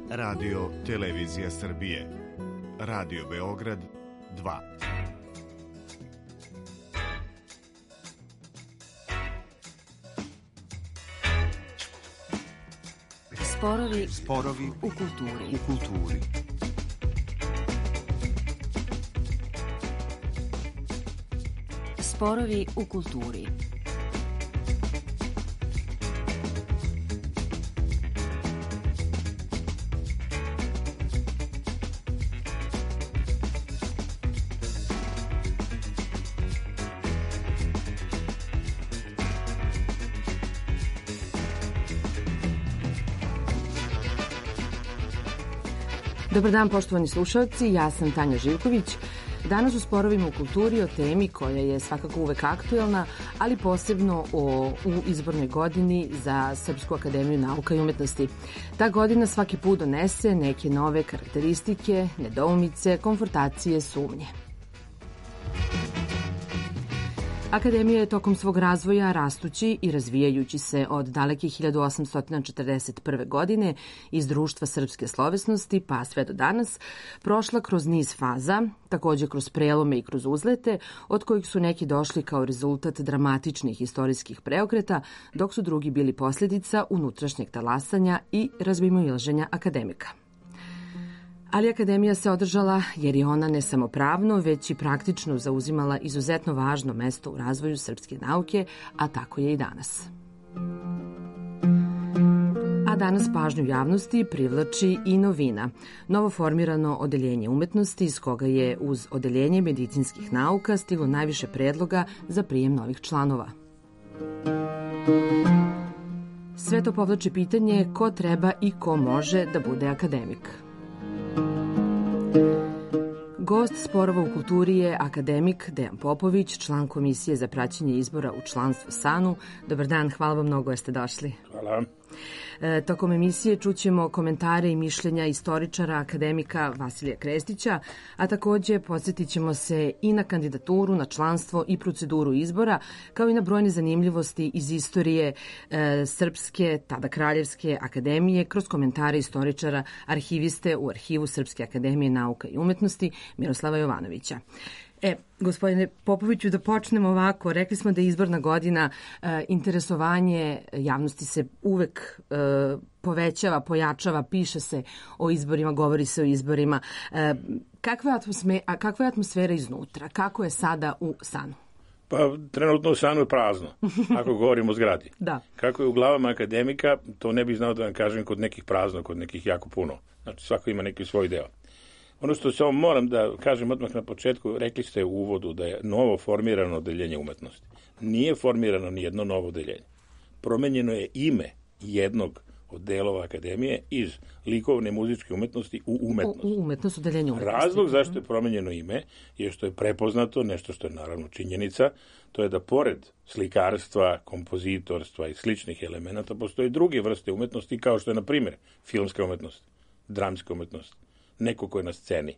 Radio Televizija Srbije, Radio Beograd 2. Sporovi u kulturi. Sporovi u kulturi. Dobar dan, poštovani slušalci, ja sam Tanja Živković. Danas u Sporovima u kulturi o temi koja je svakako uvek aktuelna, ali posebno u izbornoj godini za Srpsku akademiju nauka i umetnosti. Ta godina svaki put donese neke nove karakteristike, nedoumice, konfrontacije, sumnje. Akademija je tokom svog razvoja, rastući i razvijajući se od daleke 1841. godine iz Društva srpske slovesnosti pa sve do danas, prošla kroz niz faza, takođe kroz prelome i kroz uzlete, od kojih su neki došli kao rezultat dramatičnih istorijskih preokreta, dok su drugi bili posljedica unutrašnjeg talasanja i razmimoilaženja akademika. Ali akademija se održala jer je ona ne samo pravno, već i praktično zauzimala izuzetno važno mesto u razvoju srpske nauke, a tako je i danas. A danas pažnju javnosti privlači i novina, novo formirano odeljenje umetnosti iz koga je uz odeljenje medicinskih nauka stiglo najviše predloga za prijem novih članova. Sve to povlači pitanje ko treba i ko može da bude akademik. Gost Sporova u kulturi je akademik Dejan Popović, član Komisije za praćenje izbora u članstvo SANU. Dobar dan, hvala vam mnogo jer ste došli. Hvala. Tokom emisije čućemo komentare i mišljenja istoričara akademika Vasilija Krestića, a takođe podsjetit ćemo se i na kandidaturu, na članstvo i proceduru izbora, kao i na brojne zanimljivosti iz istorije Srpske, tada Kraljevske akademije, kroz komentare istoričara, arhiviste u Arhivu Srpske akademije nauka i umetnosti Miroslava Jovanovića. Gospodine Popoviću, da počnemo ovako. Rekli smo da je izborna godina, interesovanje javnosti se uvek povećava, pojačava, piše se o izborima, govori se o izborima. Kakva je atmosfera iznutra? Kako je sada u SANU? Pa trenutno u SANU je prazno, ako govorimo o zgradi. Da. Kako je u glavama akademika, to ne bih znao da vam kažem, kod nekih prazno, kod nekih jako puno. Znači svako ima neki svoj deo. Ono što samo moram da kažem odmah na početku, rekli ste u uvodu da je novo formirano odeljenje umetnosti. Nije formirano ni jedno novo odeljenje. Promenjeno je ime jednog od delova akademije iz likovne muzičke umetnosti u umetnost. U umetnost, odeljenje umetnosti. Razlog zašto je promenjeno ime je što je prepoznato, nešto što je naravno činjenica, to je da pored slikarstva, kompozitorstva i sličnih elemenata postoje druge vrste umetnosti kao što je, na primjer, filmska umetnost, dramska umetnost, neko ko je na sceni.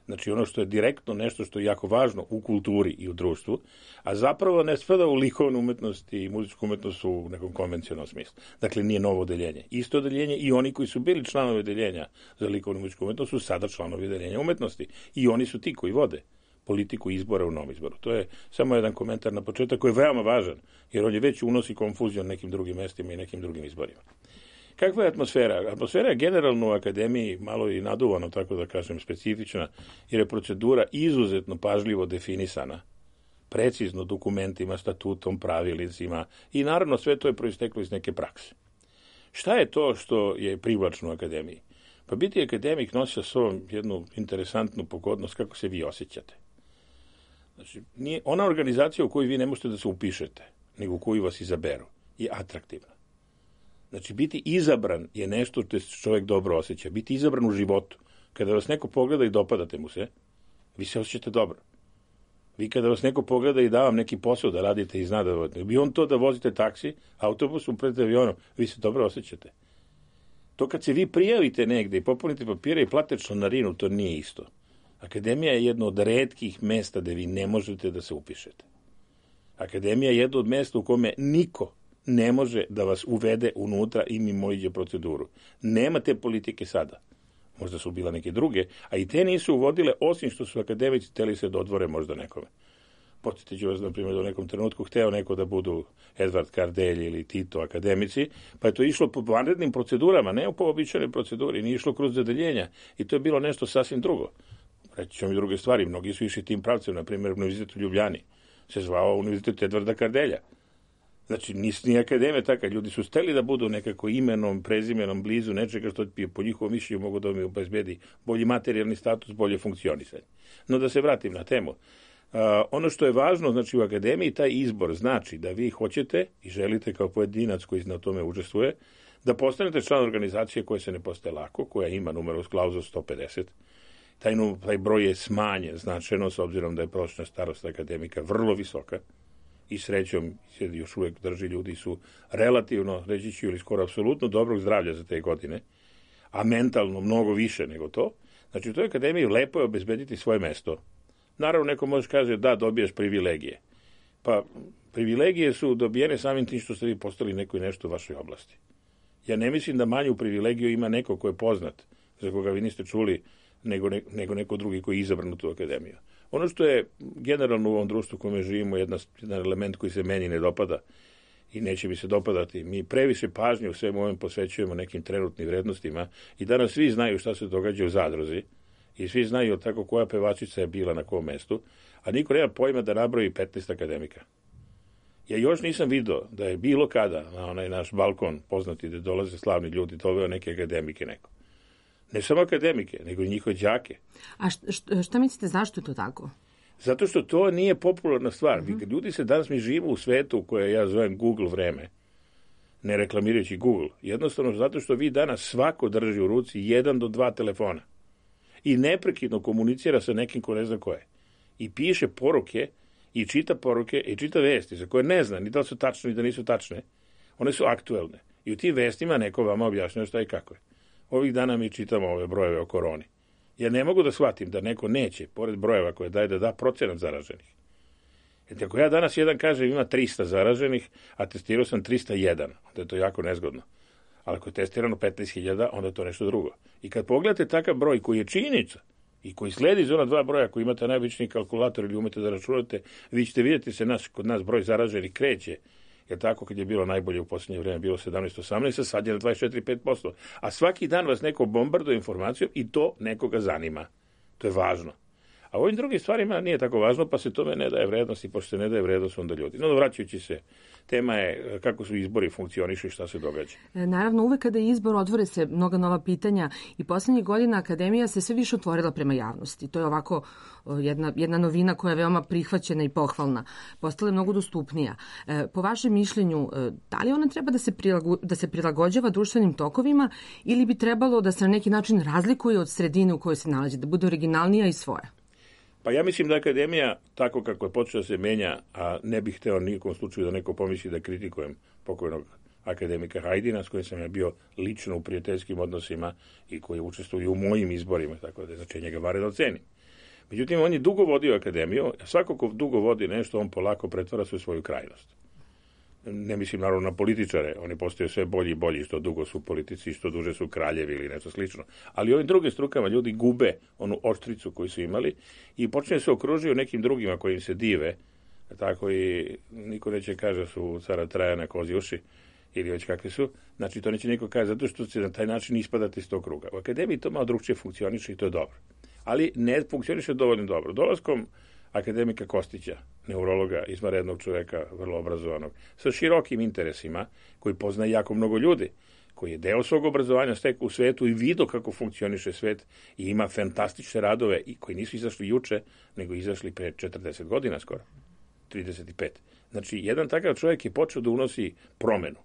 Znači ono što je direktno nešto što je jako važno u kulturi i u društvu, a zapravo ne spada u likovnu umetnost i muzičku umetnost u nekom konvencionalnom smislu. Dakle, nije novo odeljenje. Isto odeljenje i oni koji su bili članovi odeljenja za likovnu i muzičku umetnost su sada članovi odeljenja umetnosti. I oni su ti koji vode politiku izbora u novom izboru. To je samo jedan komentar na početak koji je veoma važan, jer on je već unosi konfuziju na nekim drugim mestima i nekim drugim izborima. Kakva je atmosfera? Atmosfera je generalno u akademiji malo i naduvano, tako da kažem, specifična, jer je procedura izuzetno pažljivo definisana, precizno dokumentima, statutom, pravilnicima i naravno sve to je proisteklo iz neke prakse. Šta je to što je privlačno u akademiji? Pa biti akademik nosi sa sobom jednu interesantnu pogodnost kako se vi osjećate. Znači, nije ona organizacija u kojoj vi ne možete da se upišete, nego u koju vas izaberu, je atraktivna. Znači, biti izabran je nešto što se čovjek dobro osjeća. Biti izabran u životu. Kada vas neko pogleda i dopadate mu se, vi se osjećate dobro. Vi kada vas neko pogleda i da vam neki posao da radite i zna da vodite, bi on to da vozite taksi, autobusom pred avionom, vi se dobro osjećate. To kad se vi prijavite negde i popunite papire i plate članarinu, to nije isto. Akademija je jedno od retkih mesta gde vi ne možete da se upišete. Akademija je jedno od mesta u kome niko ne može da vas uvede unutra i mimoiđe proceduru. Nema te politike sada. Možda su bila neke druge, a i te nisu uvodile, osim što su akademici hteli se dodvore možda nekome. Podsjetit ću vas, na primjer, da u nekom trenutku hteo neko da budu Edvard Kardelj ili Tito akademici, pa je to išlo po vanrednim procedurama, ne po običajnoj proceduri, nije išlo kroz zadeljenja i to je bilo nešto sasvim drugo. Reći ćemo i druge stvari, mnogi su išli tim pravcem, na primjer, Univerzitet u Ljubljani se zvao Univerzitet Edvarda Kardelja. Znači, ni akademija taka, ljudi su steli da budu nekako imenom, prezimenom, blizu nečega što po njihovom mišljenju mogu da mi obezbedi bolji materijalni status, bolje funkcionisanje. No da se vratim na temu. Ono što je važno, znači u akademiji, taj izbor znači da vi hoćete i želite kao pojedinac koji na tome učestvuje, da postanete član organizacije koja se ne postaje lako, koja ima numerus clausus 150. Taj broj je smanjen značajno, s obzirom da je prosječna starost akademika vrlo visoka i srećom se još uvijek drži, ljudi su relativno, reći ću, ili skoro apsolutno dobrog zdravlja za te godine, a mentalno mnogo više nego to. Znači u toj akademiji lepo je obezbediti svoje mesto. Naravno, neko može kaže da dobijaš privilegije. Pa privilegije su dobijene samim tim što ste vi postali neko i nešto u vašoj oblasti. Ja ne mislim da manju privilegiju ima neko ko je poznat, za koga vi niste čuli, nego neko drugi koji je izabran u tu akademiju. Ono što je generalno u ovom društvu u kome živimo jedan element koji se meni ne dopada i neće mi se dopadati. Mi previše pažnje u svemu ovome posvećujemo nekim trenutnim vrednostima i danas svi znaju šta se događa u Zadruzi i svi znaju tako koja pevačica je bila na kom mestu, a niko nema pojma da nabroji 15 akademika. Ja još nisam video da je bilo kada na onaj naš balkon poznati da dolaze slavni ljudi, doveo neke akademike neko. Ne samo akademike, nego i njihove đake. A šta mislite, zašto je to tako? Zato što to nije popularna stvar. Ljudi se danas, mi živimo u svetu koje ja zovem Google vreme, ne reklamirajući Google. Jednostavno zato što vi danas svako drži u ruci 1 do 2 telefona i neprekidno komunicira sa nekim ko ne zna ko je. I piše poruke, i čita poruke, i čita vesti za koje ne zna ni da li su tačne, ni da nisu tačne. One su aktuelne. I u tim vestima neko vama objašnjava šta i kako je. Ovih dana mi čitamo ove brojeve o koroni. Ja ne mogu da shvatim da neko neće, pored brojeva koje daje, da da procenat zaraženih. Jer ako ja danas jedan kažem ima 300 zaraženih, a testirao sam 301, onda je to jako nezgodno. Ali ako je testirano 15.000, onda je to nešto drugo. I kad pogledate takav broj koji je činjenica i koji sledi iz ona 2 broja koji imate najobičniji kalkulator ili umete da računate, vi ćete vidjeti se kod nas broj zaraženih kreće. Jer tako kad je bilo najbolje u posljednje vrijeme, bilo 17-18, sad je na 24-5%. A svaki dan vas neko bombarduje informacijom i to nekoga zanima. To je važno. A ovim drugim stvarima nije tako važno, pa se tome ne daje vrednost i pošto se ne daje vrednost onda ljudi. No, vraćajući se, tema je kako su izbori funkcionišu i šta se događa. Naravno, uvek kada je izbor otvore se mnoga nova pitanja i poslednjih godina akademija se sve više otvorila prema javnosti. To je ovako jedna novina koja je veoma prihvaćena i pohvalna. Postala je mnogo dostupnija. Po vašem mišljenju, da li ona treba da se prilagođava društvenim tokovima ili bi trebalo da se na neki način razlikuje od sredine u kojoj se nalazi, da bude originalnija i svoja? Pa ja mislim da akademija, tako kako je počela da se menja, a ne bih hteo nijekom slučaju da neko pomisli da kritikujem pokojnog akademika Hajdina, s kojim sam ja bio lično u prijateljskim odnosima i koji učestvuje u mojim izborima, tako da je znači njega vanredno cenim. Međutim, on je dugo vodio akademiju, a svako ko dugo vodi nešto, on polako pretvara se u svoju krajnost. Ne mislim naravno na političare, oni postaju sve bolji i bolji, što dugo su politici, što duže su kraljevi ili nešto slično. Ali ovim drugim strukama ljudi gube onu oštricu koju su imali i počne se okružuju nekim drugima koji im se dive, tako i niko neće kaže da su cara Trajana kozi uši ili već kakvi su. Znači to neće niko kaže zato što će na taj način ispadati iz tog kruga. U akademiji to malo drugčije funkcioniše i to je dobro. Ali ne funkcioniše dovoljno dobro. Dolaskom akademika Kostića, neurologa, izvanrednog čoveka, vrlo obrazovanog, sa širokim interesima, koji poznaje jako mnogo ljudi, koji je deo svog obrazovanja stekao u svetu i vidio kako funkcioniše svet i ima fantastične radove i koji nisu izašli juče, nego izašli pre 40 godina skoro, 35. Znači, jedan takav čovjek je počeo da unosi promenu.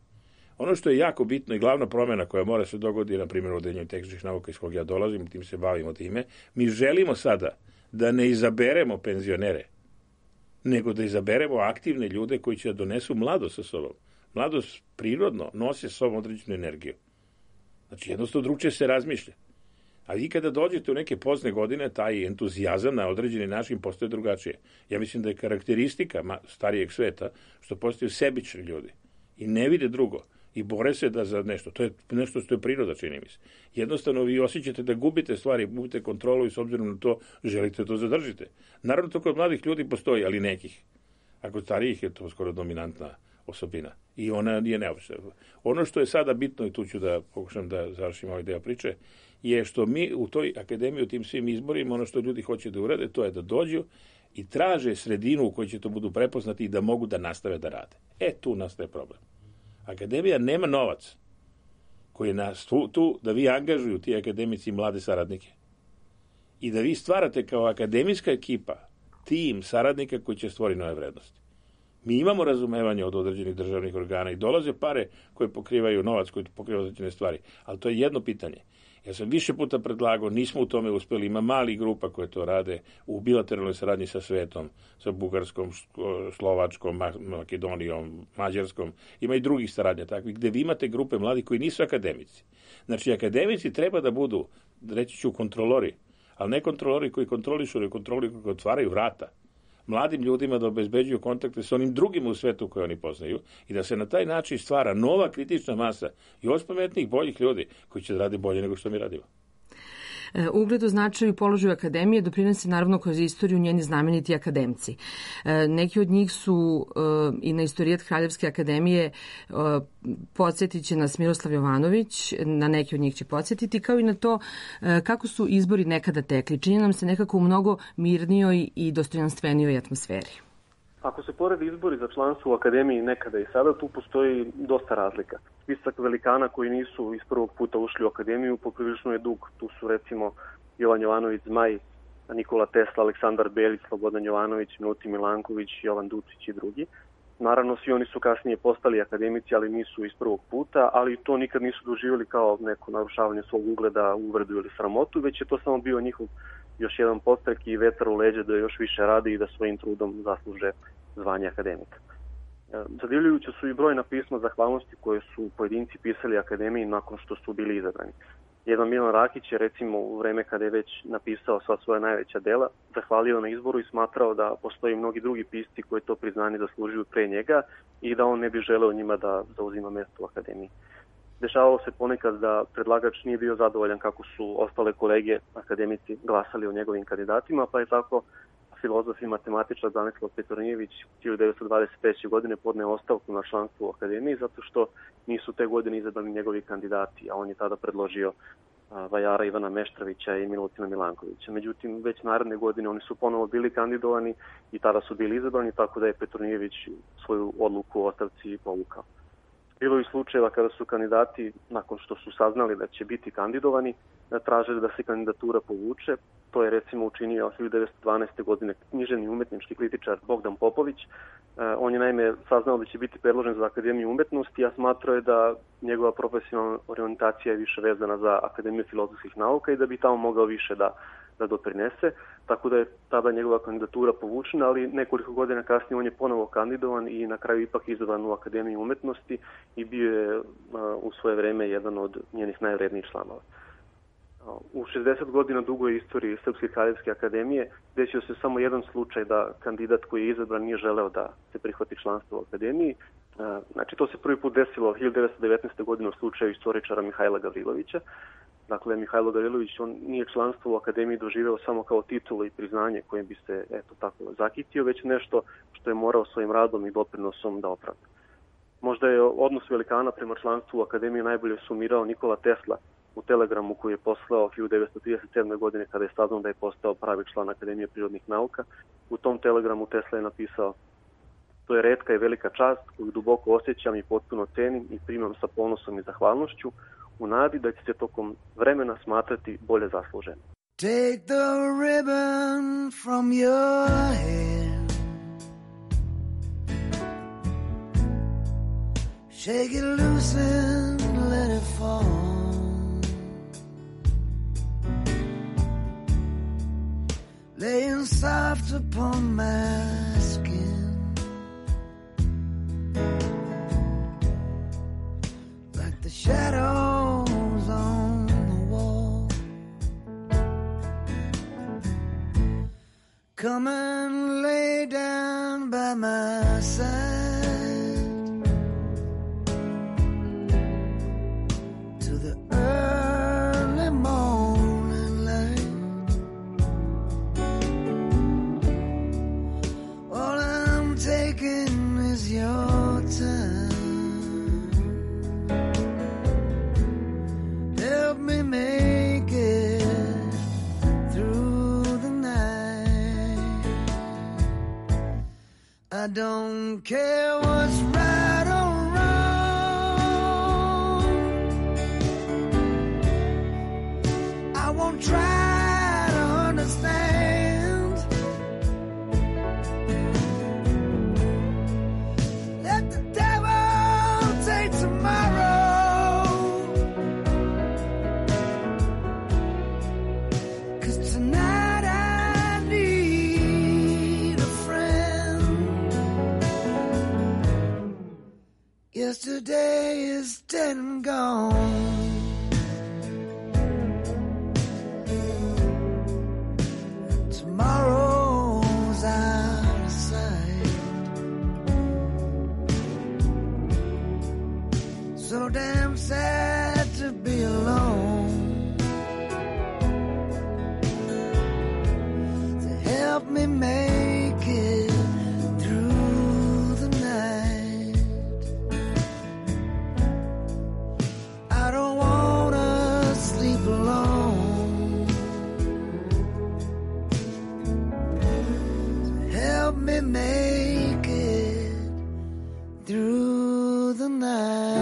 Ono što je jako bitno i glavna promjena koja mora se dogoditi, na primjer u Odeljenju tehničkih nauka iz kog ja dolazim, tim se bavimo time, mi želimo sada da ne izaberemo penzionere, nego da izaberemo aktivne ljude koji će da donesu mladost sa sobom. Mladost prirodno nosi sa sobom određenu energiju. Znači, jednostavno drugčije se razmišlja. A vi kada dođete u neke pozne godine, taj entuzijazam na određeni način postoje drugačije. Ja mislim da je karakteristika starijeg sveta što postaju sebični ljudi i ne vide drugo i bore se da za nešto. To je nešto što je priroda, čini mi se. Jednostavno vi osjećate da gubite stvari, gubite kontrolu i s obzirom na to želite to zadržite. Naravno to kod mladih ljudi postoji, ali nekih. A kod starijih je to skoro dominantna osobina. I ona je neobična. Ono što je sada bitno, i tu ću da pokušam da završim ovaj deo priče, je što mi u toj akademiji, u tim svim izborima, ono što ljudi hoće da urade, to je da dođu i traže sredinu u kojoj će to budu prepoznati i da mogu da nastave da rade. Tu nastaje problem. Akademija nema novac koji je tu da vi angažuju ti akademici mlade saradnike i da vi stvarate kao akademijska ekipa tim saradnika koji će stvoriti nove vrednosti. Mi imamo razumevanje od određenih državnih organa i dolaze pare koje pokrivaju novac, koji pokrivaju određene stvari, ali to je jedno pitanje. Ja sam više puta predlagao, nismo u tome uspeli, ima mali grupa koje to rade u bilateralnoj saradnji sa svetom, sa Bugarskom, Slovačkom, Makedonijom, Mađarskom, ima i drugih saradnja takvih, gde vi imate grupe mladih koji nisu akademici. Znači, akademici treba da budu, reći ću, kontrolori, ali ne kontrolori koji kontrolišu, nego kontrolori koji otvaraju vrata mladim ljudima da obezbeđuju kontakte sa onim drugima u svetu koje oni poznaju i da se na taj način stvara nova kritična masa još pametnijih, boljih ljudi koji će da radi bolje nego što mi radimo. Ugledu, značaju i položaju akademije doprinose naravno kroz istoriju njeni znameniti akademci. Neki od njih su i na istorijat Kraljevske akademije podsjetit će nas Miroslav Jovanović, na neki od njih će podsjetiti, kao i na to kako su izbori nekada tekli. Čini nam se nekako u mnogo mirnijoj i dostojanstvenijoj atmosferi. Ako se poredi izbori za članstvo u akademiji nekada i sada, tu postoji dosta razlika. Spisak velikana koji nisu iz prvog puta ušli u akademiju poprilično je dug. Tu su recimo Jovan Jovanović Zmaj, Nikola Tesla, Aleksandar Belić, Slobodan Jovanović, Milutin Milanković, Jovan Ducić i drugi. Naravno, svi oni su kasnije postali akademici, ali nisu iz prvog puta, ali to nikad nisu doživjeli kao neko narušavanje svog ugleda, uvredu ili sramotu, već je to samo bio njihov još jedan podstrek i vetar u leđa da još više rade i da svojim trudom zasluže zvanje akademika. Zadivljujuće su i brojna pisma zahvalnosti koje su pojedinci pisali akademiji nakon što su bili izabrani. Jedan Milan Rakić je recimo u vreme kada je već napisao sva svoja najveća dela, zahvalio na izboru i smatrao da postoji mnogi drugi pisci koji to priznanje zaslužuju pre njega i da on ne bi želeo njima da zauzima mesto u akademiji. Dešavalo se ponekad da predlagač nije bio zadovoljan kako su ostale kolege akademici glasali o njegovim kandidatima, pa je tako filozof i matematičar Branislav Petronijević 1923. godine podneo ostavku na članstvo u akademiji zato što nisu te godine izabrani njegovi kandidati, a on je tada predložio vajara Ivana Meštrovića i Milutina Milankovića. Međutim, već naredne godine oni su ponovo bili kandidovani i tada su bili izabrani, tako da je Petronijević svoju odluku o ostavci povukao. Bilo je slučajeva kada su kandidati, nakon što su saznali da će biti kandidovani, tražili da se kandidatura povuče. To je recimo učinio 1912. godine književni umetnički kritičar Bogdan Popović. On je naime saznao da će biti predložen za Akademiju umetnosti, a smatrao je da njegova profesionalna orijentacija je više vezana za Akademiju filozofskih nauka i da bi tamo mogao više da doprinese, tako da je tada njegova kandidatura povučena, ali nekoliko godina kasnije on je ponovo kandidovan i na kraju ipak izabran u Akademiju umetnosti i bio je u svoje vreme jedan od njenih najvrednijih članova. U 60 godina dugoj istoriji Srpske kraljevske akademije desio se samo jedan slučaj da kandidat koji je izabran nije želeo da se prihvati članstvo u akademiji. Znači, to se prvi put desilo 1919. godine u slučaju istoričara Mihajla Gavrilovića. Dakle, Mihajlo Gavrilović, on nije članstvo u akademiji doživeo samo kao titulu i priznanje kojim bi se tako zakitio, već nešto što je morao svojim radom i doprinosom da opravda. Možda je odnos velikana prema članstvu u akademiji najbolje sumirao Nikola Tesla u telegramu koji je poslao 1937. godine kada je saznao da je postao pravi član Akademije prirodnih nauka. U tom telegramu Tesla je napisao: "To je retka i velika čast koju duboko osjećam i potpuno cenim i primam sa ponosom i zahvalnošću u nadi da će se tokom vremena smatrati bolje zaslužen." Take the ribbon from your hair, shake it loose and let it fall. Laying soft upon my skin, like the shadows on the wall. Come and lay down by my side, I don't care what's right or wrong. I won't try to understand. Let the devil take tomorrow, 'cause tonight I need a friend. Yesterday is dead and gone. Tomorrow's out of sight. So damn sad to be alone. To help me make it through the night. I don't wanna sleep alone. Help me make it through the night.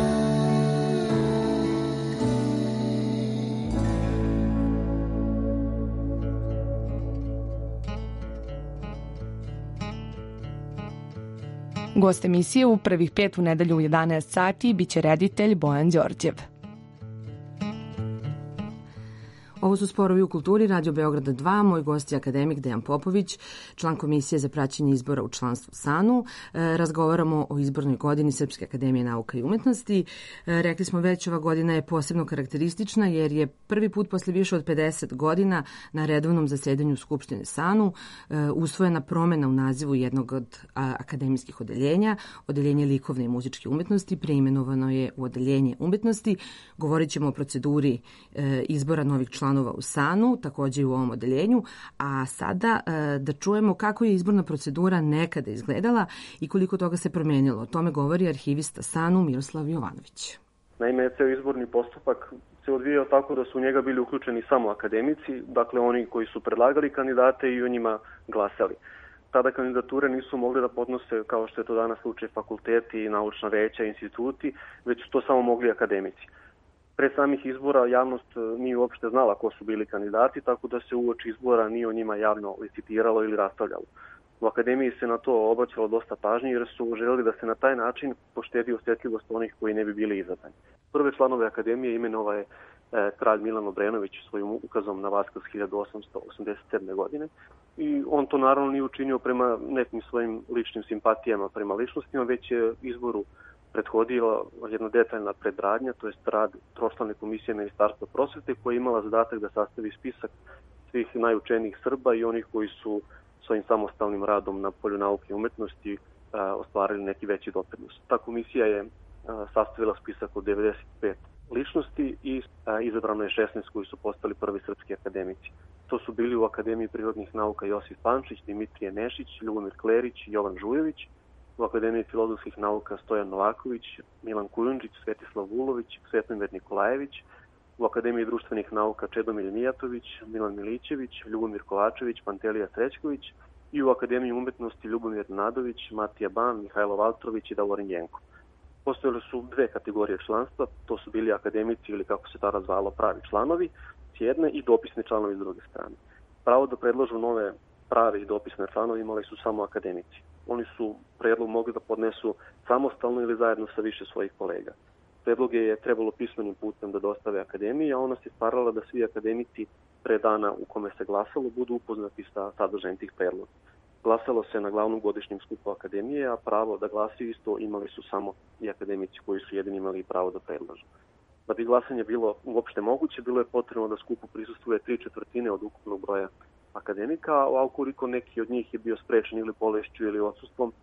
Gost emisije u prvih 5 u nedelju u 11 sati biće reditelj Bojan Đorđev. Ovo su Sporovi u kulturi, Radio Beograda 2, moj gost je akademik Dejan Popović, član Komisije za praćenje izbora u članstvu SANU. Razgovaramo o izbornoj godini Srpske akademije nauka i umetnosti. Rekli smo već, ova godina je posebno karakteristična jer je prvi put posle više od 50 godina na redovnom zasedanju Skupštine SANU usvojena promena u nazivu jednog od akademijskih odeljenja, Odeljenje likovne i muzičke umetnosti, preimenovano je u Odeljenje umetnosti. Govorit ćemo o proceduri izbora novih članova u SANU, takođe i u ovom odeljenju, a sada da čujemo kako je izborna procedura nekada izgledala i koliko toga se promenilo. O tome govori arhivista SANU Miroslav Jovanović. Naime, ceo izborni postupak se odvijao tako da su u njega bili uključeni samo akademici, dakle oni koji su predlagali kandidate i o njima glasali. Tada kandidature nisu mogli da podnose, kao što je to danas slučaj, fakulteti, naučna veća, instituti, već su to samo mogli akademici. Pre samih izbora javnost nije uopšte znala ko su bili kandidati, tako da se uoči izbora nije o njima javno licitiralo ili raspravljalo. U akademiji se na to obraćalo dosta pažnje jer su želeli da se na taj način poštedi osjetljivost onih koji ne bi bili izabrani. Prve članove akademije imenovao je kralj Milan Obrenović svojim ukazom na Vaskrs 1887. godine i on to naravno nije učinio prema nekim svojim ličnim simpatijama prema ličnostima, već je izboru prethodila jedna detaljna predradnja, to je rad tročlane komisije Ministarstva prosvete koja je imala zadatak da sastavi spisak svih najučenijih Srba i onih koji su svojim samostalnim radom na polju nauke i umetnosti ostvarili neki veći doprinos. Ta komisija je sastavila spisak od 95 ličnosti i izabrano je 16 koji su postali prvi srpski akademici. To su bili u Akademiji prirodnih nauka Josif Pančić, Dimitrije Nešić, Ljubomir Klerić i Jovan Žujović, u Akademiji filozofskih nauka Stojan Novaković, Milan Kujundžić, Svetislav Vulović, Svetomir Nikolajević, u Akademiji društvenih nauka Čedomir Mijatović, Milan Milićević, Ljubomir Kovačević, Pantelija Srećković i u Akademiji umetnosti Ljubomir Nadović, Matija Ban, Mihajlo Valtrović i Davorin Jenko. Postojale su dve kategorije članstva, to su bili akademici ili kako se tada zvalo pravi članovi s jedne i dopisni članovi s druge strane. Pravo da predlažu nove prave i dopisne članovi imali su samo akademici. Oni su predlog mogli da podnesu samostalno ili zajedno sa više svojih kolega. Predloge je trebalo pismenim putem da dostave akademiji, a ona se starala da svi akademici pre dana u kome se glasalo budu upoznati sa sadržajem tih predloga. Glasalo se na glavnom godišnjem skupu akademije, a pravo da glasaju isto imali su samo i akademici koji su jedini imali pravo da predlažu. Da bi glasanje bilo uopšte moguće, bilo je potrebno da skupu prisustvuje 3/4 od ukupnog broja akademika, a ukoliko neki od njih je bio sprečen ili bolešću ili odsustvom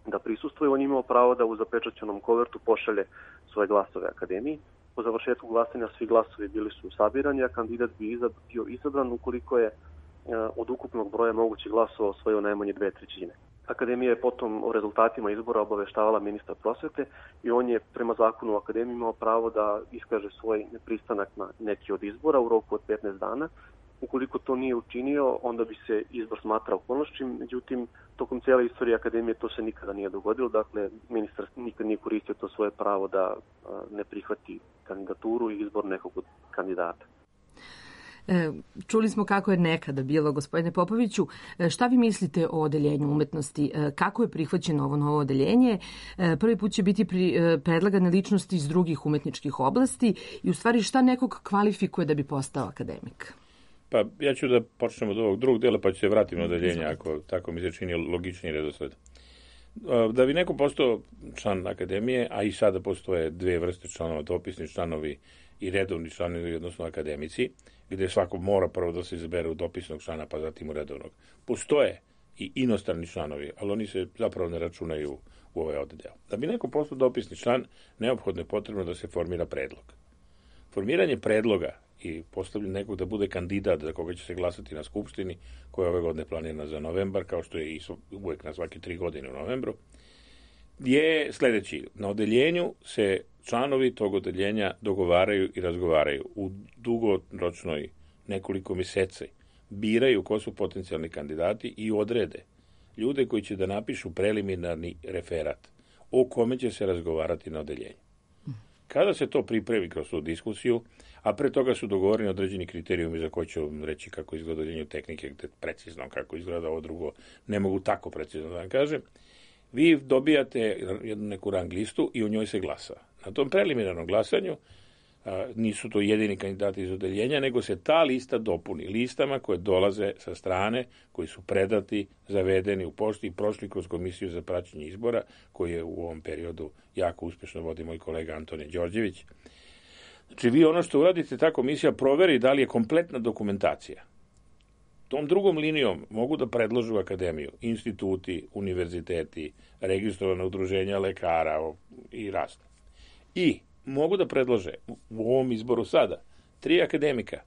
da prisustvuje, on imao pravo da u zapečaćenom kovertu pošalje svoje glasove akademiji. Po završetku glasanja svi glasovi bili su sabirani, a kandidat bi bio izabran ukoliko je od ukupnog broja mogućih glasova osvojio najmanje 2/3. Akademija je potom o rezultatima izbora obaveštavala ministar prosvete i on je prema zakonu o akademiji imao pravo da iskaže svoj nepristanak na neki od izbora u roku od 15 dana Ukoliko to nije učinio, onda bi se izbor smatrao ponošćim, međutim, tokom cijele istorije akademije to se nikada nije dogodilo, dakle, ministar nikad nije koristio to svoje pravo da ne prihvati kandidaturu i izbor nekog od kandidata. Čuli smo kako je nekada bilo, gospodine Popoviću. Šta vi mislite o odeljenju umetnosti? Kako je prihvaćeno ovo novo odeljenje? Prvi put će biti predlagane ličnosti iz drugih umetničkih oblasti i u stvari šta nekog kvalifikuje da bi postao akademik? Pa ja ću da počnem od ovog drugog dela, pa ću se vratiti na odeljenje, ako tako mi se čini logičniji redosled. Da bi neko postao član akademije, a i sada postoje dve vrste članova, dopisni članovi i redovni članovi, odnosno akademici, gde svako mora prvo da se izabere u dopisnog člana, pa zatim u redovnog. Postoje i inostrani članovi, ali oni se zapravo ne računaju u ovaj oddeo. Da bi neko postao dopisni član, neophodno je potrebno da se formira predlog. Formiranje predloga i postavljanje nekog da bude kandidat za koga će se glasati na Skupštini, koja je ove godine planirana za novembar, kao što je i uvek na svake 3 godine u novembru, je sledeći. Na odeljenju se članovi tog odeljenja dogovaraju i razgovaraju u dugoročnoj nekoliko meseci, biraju ko su potencijalni kandidati i odrede ljude koji će da napišu preliminarni referat o kome će se razgovarati na odeljenju. Kada se to pripremi kroz tu diskusiju, a pre toga su dogovoreni određeni kriterijumi za koje ću vam reći kako izgleda odeljenje tehnike, gde precizno kako izgleda ovo drugo, ne mogu tako precizno da vam kažem, vi dobijate jednu neku rang listu i u njoj se glasa. Na tom preliminarnom glasanju nisu to jedini kandidati iz odeljenja, nego se ta lista dopuni listama koje dolaze sa strane, koji su predati, zavedeni u pošti i prošli kroz komisiju za praćenje izbora, koji je u ovom periodu jako uspešno vodi moj kolega Antonije Đorđević. Znači, vi ono što uradite, ta komisija proveri da li je kompletna dokumentacija. Tom drugom linijom mogu da predložu akademiju, instituti, univerziteti, registrovana udruženja lekara i razne. I mogu da predlože u ovom izboru sada 3 akademika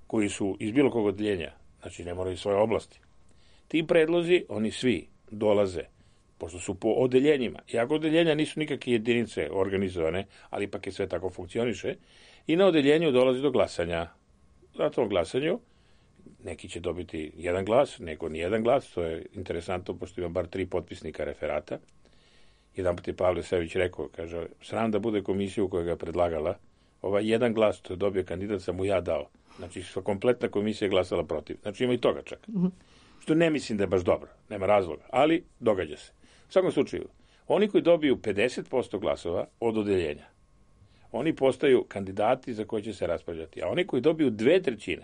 koji su iz bilo kog odeljenja, znači ne moraju svoje oblasti. Ti predlozi, oni svi dolaze, pošto su po odeljenjima, iako odeljenja nisu nikakve jedinice organizovane, ali ipak je sve tako funkcioniše, i na odeljenju dolazi do glasanja. Na tom glasanju neki će dobiti 1 glas, neko ni 1 glas, to je interesantno, pošto ima bar 3 potpisnika referata. Jedan put je Pavle Savić rekao, kaže, sram da bude komisija u kojoj ga predlagala, ovaj 1 glas što je dobio kandidat sam mu ja dao. Znači, kompletna komisija je glasala protiv. Znači, ima i toga čak. Što ne mislim da je baš dobro, nema razloga, ali događa se. U svakom slučaju, oni koji dobiju 50% glasova od odeljenja, oni postaju kandidati za koje će se raspravljati, a oni koji dobiju 2/3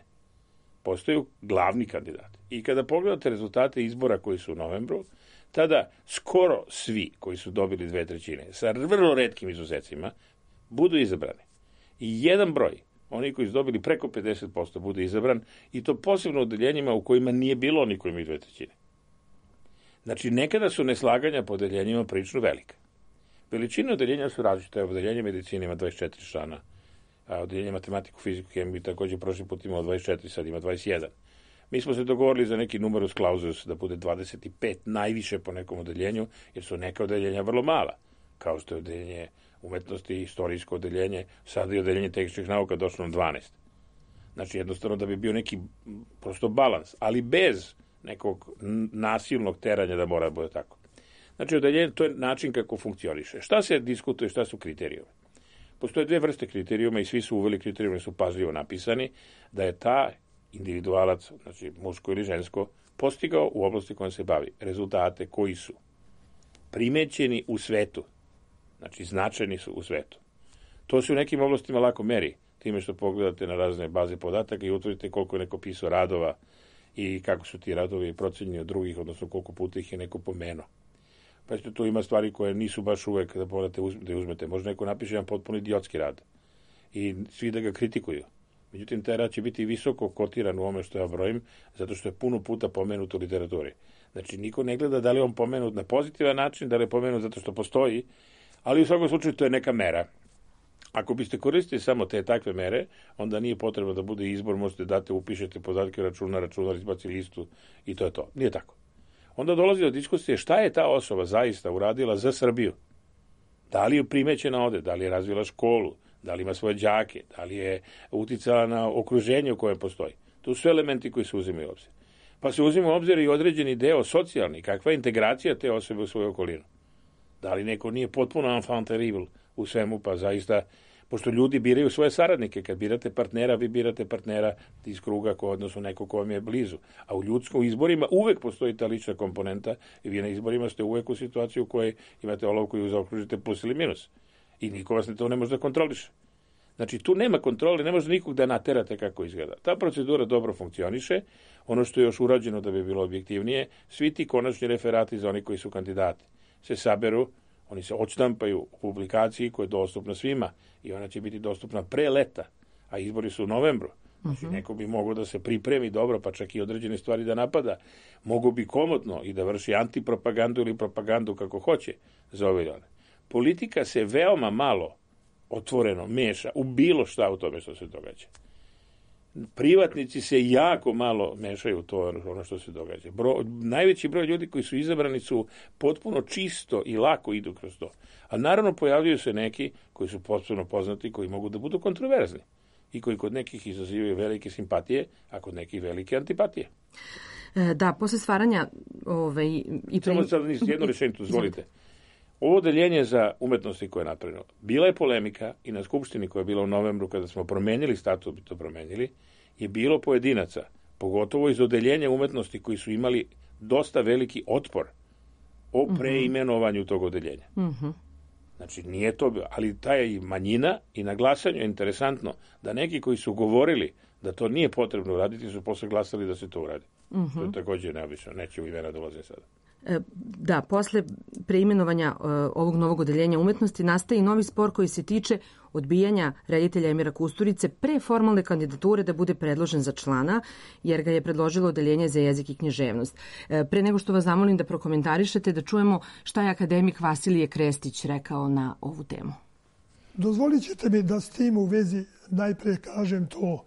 postaju glavni kandidati. I kada pogledate rezultate izbora koji su u novembru, tada skoro svi koji su dobili 2/3, sa vrlo retkim izuzecima, budu izabrani. I jedan broj, oni koji su dobili preko 50%, bude izabran, i to posebno u odeljenjima u kojima nije bilo oni koji imaju 2/3. Znači, nekada su neslaganja po odeljenjima prilično velika. Veličine odeljenja su različite. Odeljenje medicine ima 24 člana, a odeljenje matematiku, fiziku, hemiju također prošli put imao 24, sad ima 21. Mi smo se dogovorili za neki numerus clausus da bude 25 najviše po nekom odeljenju, jer su neka odeljenja vrlo mala, kao što je odeljenje umetnosti, istorijsko odeljenje, sada i odeljenje tehničkih nauka došlo na 12. Znači, jednostavno da bi bio neki prosto balans, ali bez nekog nasilnog teranja da mora da bude tako. Znači, odeljenje, to je način kako funkcioniše. Šta se diskutuje, šta su kriterijumi? Postoje 2 vrste kriterijuma i svi su uveli kriterijumi, su pažljivo napisani, da je ta individualac, znači muško ili žensko, postigao u oblasti kojom se bavi rezultate koji su primećeni u svetu, znači značajni su u svetu. To se u nekim oblastima lako meri, time što pogledate na razne baze podataka i utvrdite koliko je neko pisao radova i kako su ti radovi procenjeni od drugih, odnosno koliko puta ih je neko pomenuo. Pa što tu ima stvari koje nisu baš uvek da morate da uzmete. Možda neko napiše jedan potpuno idiotski rad i svi da ga kritikuju. Međutim, taj rad će biti visoko kotiran u ome što ja brojim, zato što je puno puta pomenut u literaturi. Znači, niko ne gleda da li je on pomenut na pozitivan način, da li je pomenut zato što postoji, ali u svakom slučaju to je neka mera. Ako biste koristili samo te takve mere, onda nije potrebno da bude izbor, možete date, upišete podatke računar, izbaci listu i to je to. Nije tako. Onda dolazi do diskusije šta je ta osoba zaista uradila za Srbiju. Da li je primećena ovde, da li je razvila školu, da li ima svoje đake, da li je uticala na okruženje u kojem postoji. To su elementi koji se uzimaju u obzir. Pa se uzima u obzir i određeni deo socijalni, kakva je integracija te osobe u svoju okolinu. Da li neko nije potpuno enfant terrible u svemu, pa zaista, pošto ljudi biraju svoje saradnike, kad birate partnera, vi birate partnera iz kruga odnosno neko ko vam je blizu. A u izborima uvek postoji ta lična komponenta i vi na izborima ste uvek u situaciji u kojoj imate olovku i zaokružite plus ili minus. I niko vas to ne može da kontroliše. Znači, tu nema kontrole, ne može nikog da naterate kako izgleda. Ta procedura dobro funkcioniše. Ono što je još urađeno da bi bilo objektivnije, svi ti konačni referati za oni koji su kandidati se saberu, oni se odštampaju u publikaciji koja je dostupna svima i ona će biti dostupna pre leta, a izbori su u novembru. Znači, neko bi mogao da se pripremi dobro, pa čak i određene stvari da napada. Mogu bi komotno i da vrši antipropagandu ili propagandu kako hoće za ove dane. Politika se veoma malo otvoreno meša u bilo šta u tome što se događa. Privatnici se jako malo mešaju u to ono što se događa. Najveći broj ljudi koji su izabrani su potpuno čisto i lako idu kroz to. A naravno pojavljuju se neki koji su potpuno poznati, koji mogu da budu kontroverzni i koji kod nekih izazivaju velike simpatije, a kod nekih velike antipatije. Da, posle stvaranja Samo sad jedno rešenje, dozvolite. Ovo odeljenje za umetnosti koje je napravljeno, bila je polemika i na Skupštini koja je bila u novembru kada smo promenili statut, bi to promenili, je bilo pojedinaca, pogotovo iz odeljenja umetnosti koji su imali dosta veliki otpor o preimenovanju tog odeljenja. Znači, nije to bilo, ali ta je manjina i na glasanju je interesantno da neki koji su govorili da to nije potrebno uraditi su posle glasali da se to uradi. To je također neobično, neće u imena dolaze sada. Da, posle preimenovanja ovog novog odeljenja umetnosti nastaje i novi spor koji se tiče odbijanja reditelja Emira Kusturice pre formalne kandidature da bude predložen za člana, jer ga je predložilo odeljenje za jezik i književnost. Pre nego što vas zamolim da prokomentarišete, da čujemo šta je akademik Vasilije Krestić rekao na ovu temu. Dozvolit ćete mi da s tim u vezi najpre kažem to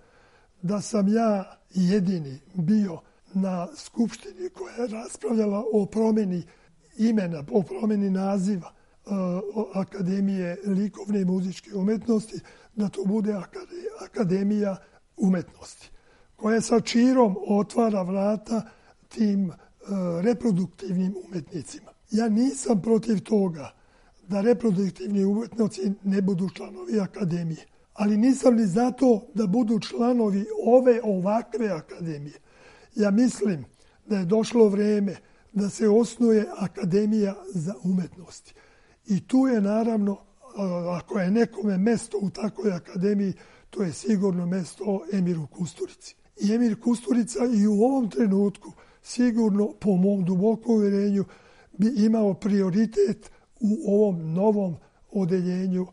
da sam ja jedini bio na Skupštini koja je raspravljala o promjeni imena, o promjeni naziva Akademije likovne i muzičke umetnosti, da to bude Akademija umetnosti, koja sa čirom otvara vrata tim reproduktivnim umetnicima. Ja nisam protiv toga da reproduktivni umetnici ne budu članovi Akademije, ali nisam ni zato da budu članovi ovakve akademije. Ja mislim da je došlo vrijeme da se osnuje Akademija za umetnosti. I tu je naravno, ako je nekome mesto u takvoj akademiji, to je sigurno mesto Emiru Kusturici. I Emir Kusturica i u ovom trenutku sigurno, po mom dubokom uvjerenju, bi imao prioritet u ovom novom odeljenju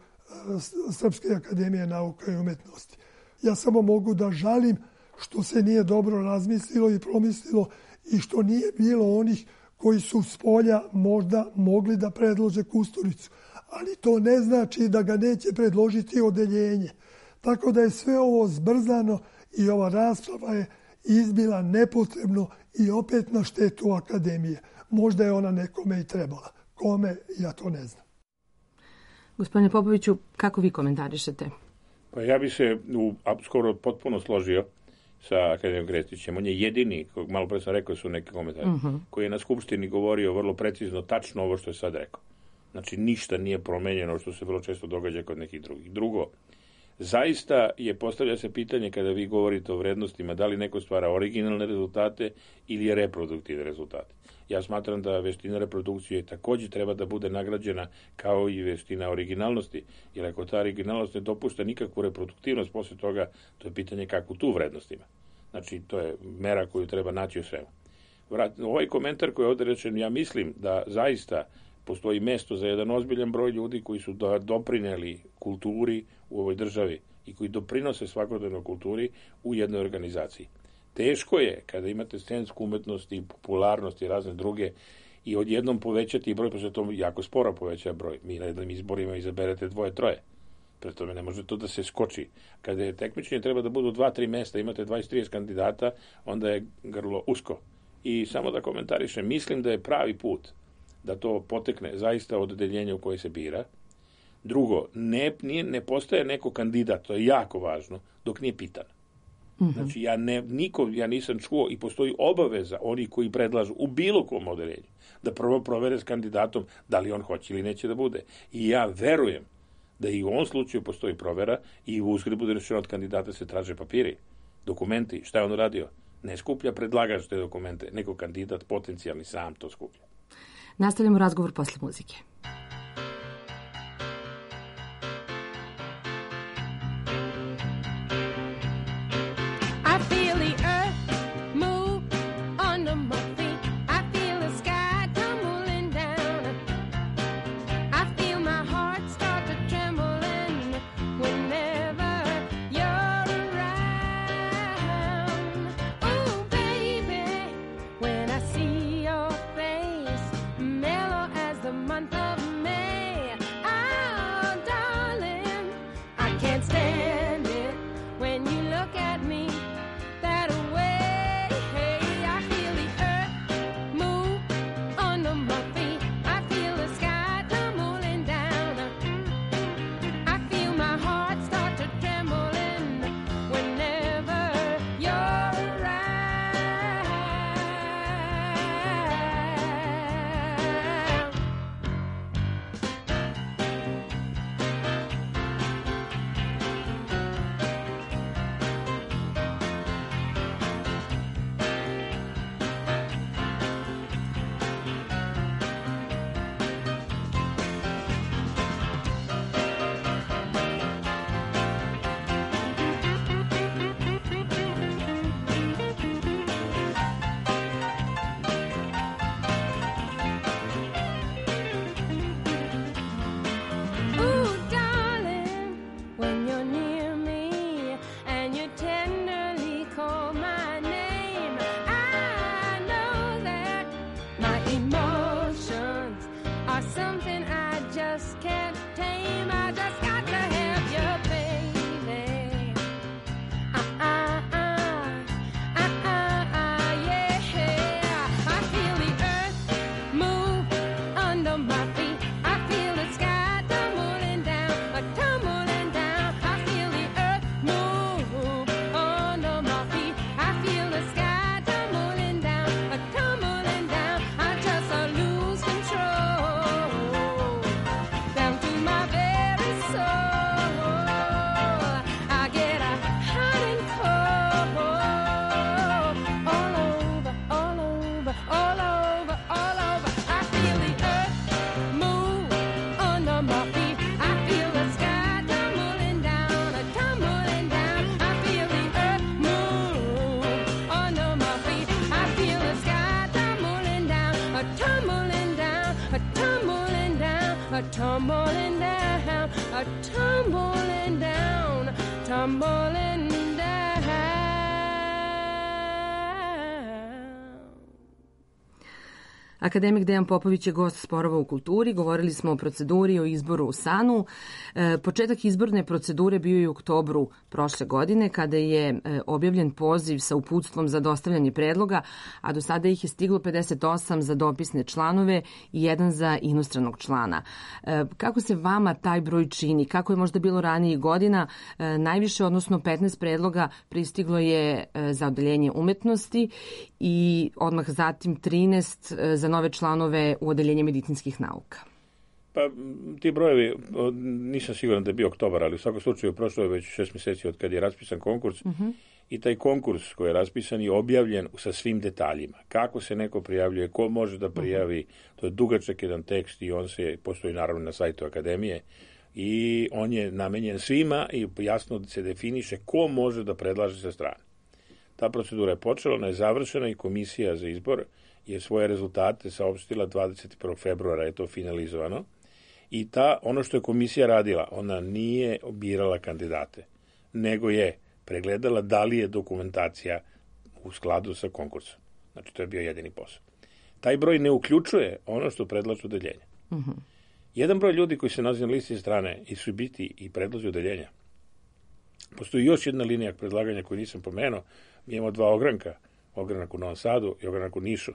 Srpske akademije nauka i umetnosti. Ja samo mogu da žalim što se nije dobro razmislilo i promislilo i što nije bilo onih koji su s polja možda mogli da predlože Kusturicu. Ali to ne znači da ga neće predložiti odeljenje. Tako da je sve ovo zbrzano i ova rasprava je izbila nepotrebno i opet na štetu akademije. Možda je ona nekome i trebala. Kome, ja to ne znam. Gospodine Popoviću, kako vi komentarišete? Pa ja bi se skoro potpuno složio sa akademijom Krestićem. On je jedini, malo pre sam rekao su neki komentari, koji je na Skupštini govorio vrlo precizno, tačno ovo što je sad rekao. Znači, ništa nije promenjeno što se vrlo često događa kod nekih drugih. Drugo, zaista postavlja se pitanje kada vi govorite o vrednostima, da li neko stvara originalne rezultate ili je reproduktivne rezultate. Ja smatram da veština reprodukcije također treba da bude nagrađena kao i veština originalnosti, jer ako ta originalnost ne dopušta nikakvu reproduktivnost, posle toga to je pitanje kakvu tu vrednost ima. Znači, to je mera koju treba naći u svemu. Ovaj komentar koji je ovdje rečen, ja mislim da zaista postoji mesto za jedan ozbiljan broj ljudi koji su doprineli kulturi u ovoj državi i koji doprinose svakodnevnoj kulturi u jednoj organizaciji. Teško je kada imate scensku umetnost i popularnost i razne druge i odjednom povećati broj, pa se to jako sporo poveća broj. Mi na jednim izborima izaberete 2-3. Pre tome ne može to da se skoči. Kada je takmičenje treba da budu 2-3 mesta, imate 20-30 kandidata, onda je grlo usko. I samo da komentarišem, mislim da je pravi put da to potekne zaista od odeljenja u koje se bira. Drugo, ne postaje neko kandidat, to je jako važno, dok nije pitan. Znači, ja nisam čuo i postoji obaveza oni koji predlažu u bilo kom odeljenju da prvo provere s kandidatom da li on hoće ili neće da bude. I ja verujem da i u ovom slučaju postoji provera i u uzgred bude rečeno od kandidata se traže papiri, dokumenti, šta je on uradio. Ne skuplja predlagač te dokumente, nego kandidat potencijalni sam to skuplja. Nastavljamo razgovor posle muzike. tumbling down, tumbling down, tumbling down. Akademik Dejan Popović je gost Sporova u kulturi. Govorili smo o proceduri, o izboru u SANU. Početak izborne procedure bio je u oktobru prošle godine, kada je objavljen poziv sa uputstvom za dostavljanje predloga, a do sada ih je stiglo 58 za dopisne članove i 1 za inostranog člana. Kako se vama taj broj čini? Kako je možda bilo ranijih godina? Najviše, odnosno 15 predloga, pristiglo je za odeljenje umetnosti i odmah zatim 13 za nove članove u odeljenje medicinskih nauka. Pa ti brojevi, nisam siguran da je bio oktobar, ali u svakom slučaju prošlo je već 6 mjeseci od kad je raspisan konkurs i taj konkurs koji je raspisan je objavljen sa svim detaljima. Kako se neko prijavljuje, ko može da prijavi, to je dugačak jedan tekst i on postoji naravno na sajtu Akademije i on je namenjen svima i jasno se definiše ko može da predlaže sa strane. Ta procedura je počela, ona je završena i komisija za izbor je svoje rezultate saopštila 21. februara, je to finalizovano. I ono što je komisija radila, ona nije birala kandidate, nego je pregledala da li je dokumentacija u skladu sa konkursom. Znači, to je bio jedini posao. Taj broj ne uključuje ono što predlažu odeljenja. Jedan broj ljudi koji se nalazi na listi strane i su biti i predlažu odeljenja. Postoji još jedna linija predlaganja koju nisam pomenuo. Mi imamo 2 ogranka, ogranak u Novom Sadu i ogranak u Nišu.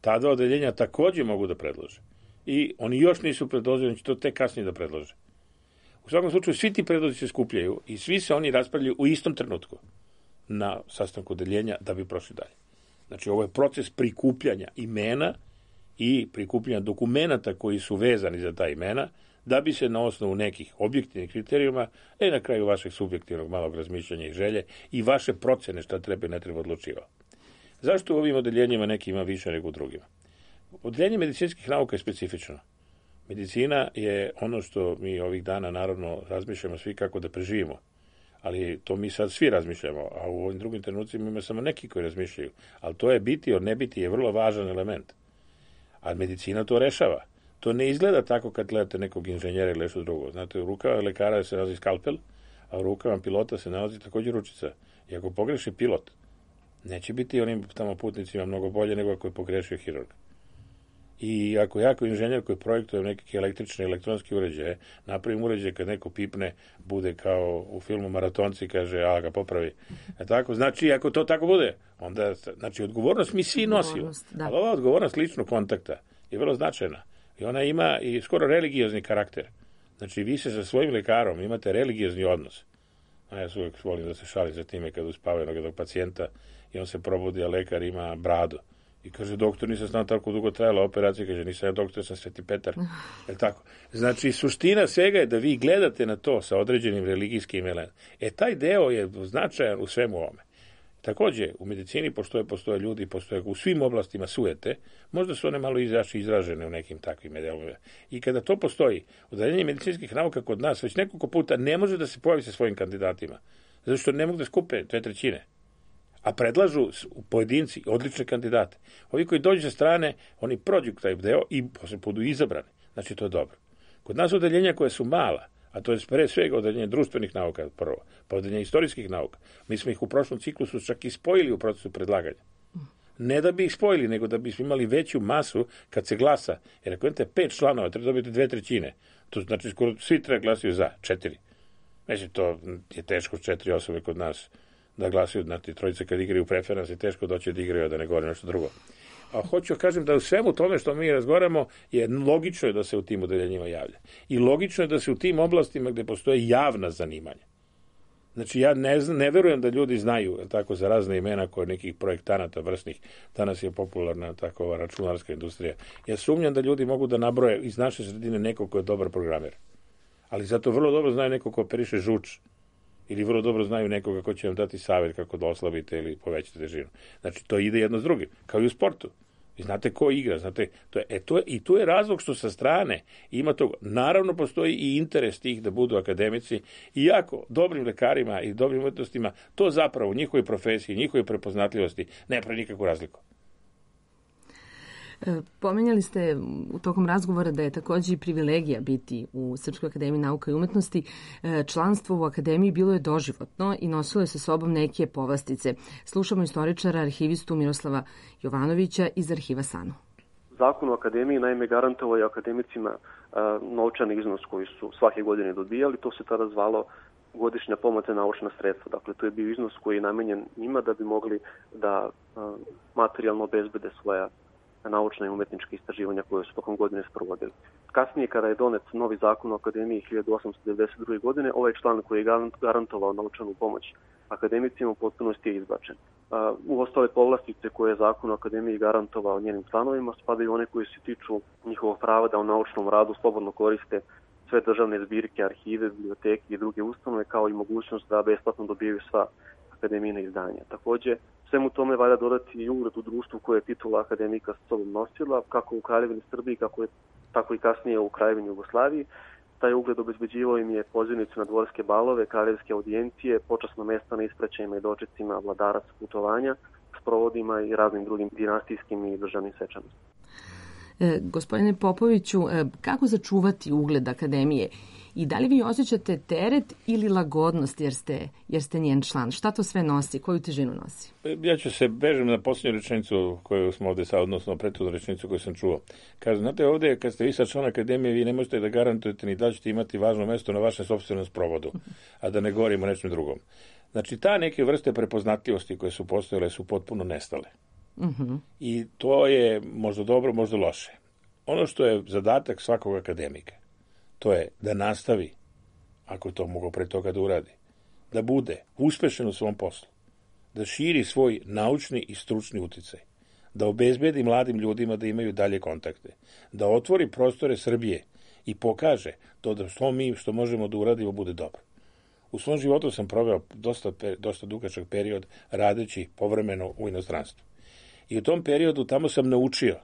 Ta 2 odeljenja također mogu da predlože. I oni još nisu predložili, oni će to tek kasnije da predlože. U svakom slučaju, svi ti predlozi se skupljaju i svi se oni raspravljaju u istom trenutku. na sastanku odeljenja da bi prošli dalje. Znači, ovo je proces prikupljanja imena i prikupljanja dokumenata koji su vezani za ta imena, da bi se na osnovu nekih objektivnih kriterijuma, na kraju vašeg subjektivnog malog razmišljanja i želje i vaše procene šta treba i ne treba odlučivao. Zašto u ovim odeljenjima neki ima više nego u drugima? Odeljenje medicinskih nauka je specifično. Medicina je ono što mi ovih dana naravno razmišljamo svi kako da preživimo. Ali to mi sad svi razmišljamo, a u ovim drugim trenucima ima samo neki koji razmišljaju. Ali to je biti od ne biti je vrlo važan element. A medicina to rešava. To ne izgleda tako kad gledate nekog inženjera ili nešto drugo. Znate, u rukama lekara se nalazi skalpel, a u rukama pilota se nalazi također ručica. I ako pogreši pilot, neće biti onim tamo putnicima mnogo bolje nego ako je pogrešio hirurg. I ako ja kao inženjer koji projektuje neke električne i elektronske uređaje, napravim uređaj kad neko pipne, bude kao u filmu Maratonci, kaže, a ga popravi. Tako, znači, ako to tako bude, onda, znači, odgovornost mi svi nosimo. Ali ova odgovornost ličnog kontakta je vrlo značajna. I ona ima i skoro religiozni karakter. Znači, vi se sa svojim lekarom imate religiozni odnos. A ja uvijek volim da se šalim za time kad uspavaju jednog pacijenta i on se probudi, a lekar ima bradu. I kaže, doktor, nisam znao tako dugo trajala operacija, kaže, nisam ja doktor, sam Sveti Petar. Je tako? Znači, suština svega je da vi gledate na to sa određenim religijskim elementom. Taj deo je značajan u svemu ovome. Također, u medicini postoje ljudi, postoje u svim oblastima sujete, možda su one malo izražene u nekim takvim delovima. I kada to postoji, odeljenje medicinskih nauka kod nas već nekoliko puta ne može da se pojavi sa svojim kandidatima, zato što ne mogu da skupe 2/3. A predlažu pojedinci odlične kandidate. Ovi koji dođu sa strane, oni prođu taj deo i posle budu izabrani. Znači, to je dobro. Kod nas odeljenja koje su mala, a to je pre svega odeljenje društvenih nauka prvo, pa odeljenje istorijskih nauka, mi smo ih u prošlom ciklusu čak i spojili u procesu predlaganja. Ne da bi ih spojili, nego da bismo imali veću masu kad se glasa. Jer ako imate 5 članova, treba dobiti 2/3. To znači skoro svi treba glasaju za 4. Znači, to je teško 4 osobe kod nas da glasuju, znate, trojice kad igraju u preferans je teško doći da igraju, da ne govore nešto drugo. A hoću kažem da u svemu tome što mi razgovaramo je logično je da se u tim odeljenjima javlja. I logično je da se u tim oblastima gde postoje javna zanimanja. Znači, ja ne verujem da ljudi znaju tako za razne imena kod nekih projektanata vrsnih. Danas je popularna takova računarska industrija. Ja sumnjam da ljudi mogu da nabroje iz naše sredine nekog ko je dobar programer. Ali zato vrlo dobro znaju nekog ko operiše žuč. Ili vrlo dobro znaju nekoga ko će vam dati savjet kako da oslabite ili povećate težinu. Znači, to ide jedno s drugim. Kao i u sportu. Vi znate ko igra, znate, i tu je razlog što sa strane ima toga. Naravno, postoji i interes tih da budu akademici, iako dobrim lekarima i dobrim umetnostima to zapravo u njihovoj profesiji, njihovoj prepoznatljivosti ne pravi nikakvu razliku. Pomenjali ste u tokom razgovora da je također i privilegija biti u Srpskoj akademiji nauka i umetnosti. Članstvo u akademiji bilo je doživotno i nosilo je sa sobom neke povlastice. Slušamo istoričara, arhivistu Miroslava Jovanovića iz arhiva SANU. Zakon o akademiji naime garantovao je akademicima novčani iznos koji su svake godine dobijali. To se tada zvalo godišnja pomoć za naučna sredstva. Dakle, to je bio iznos koji je namenjen njima da bi mogli da materijalno obezbede svoja naučna i umetnička istraživanja koje su tokom godine sprovodili. Kasnije, kada je donet novi zakon o akademiji 1892. godine, ovaj član koji je garantovao naučanu pomoć akademicima u potpunosti je izbačen. U ostale povlastice koje je zakon o akademiji garantovao njenim članovima spadaju one koje se tiču njihovog prava da u naučnom radu slobodno koriste sve državne zbirke, arhive, biblioteke i druge ustanove, kao i mogućnost da besplatno dobijaju sva akademijina izdanja. Također, svemu tome valja dodati i ugled u društvu koje je titula akademika sa sobom nosila, kako u Kraljevini Srbiji, tako i kasnije u Kraljevini Jugoslaviji. Taj ugled obezbeđivao im je pozivnicu na dvorske balove, kraljevske audijencije, počasno mesta na ispraćajima i dočecima vladara sa putovanja, sprovodima i raznim drugim dinastijskim i državnim svečanostima. Gospodine Popoviću, kako začuvati ugled akademije i da li vi osjećate teret ili lagodnost jer ste njen član? Šta to sve nosi? Koju težinu nosi? Ja ću se bežem na posljednju rečenicu koju smo ovdje sad, odnosno prethodnu rečenicu koju sam čuo. Kaže, znate, ovdje kad ste vi sad član akademije, vi ne možete da garantujete ni da ćete imati važno mjesto na vašem sopstvenom sprovodu, a da ne govorimo o nečem drugom. Znači, ta neke vrste prepoznatljivosti koje su postojale su potpuno nestale. I to je možda dobro, možda loše. Ono što je zadatak svakog akademika, to je da nastavi, ako to mogu pre toga da uradi, da bude uspešan u svom poslu, da širi svoj naučni i stručni uticaj, da obezbedi mladim ljudima da imaju dalje kontakte, da otvori prostore Srbije i pokaže to da što možemo da uradimo bude dobro. U svom životu sam proveo dosta dugačak period radeći povremeno u inostranstvu. I u tom periodu tamo sam naučio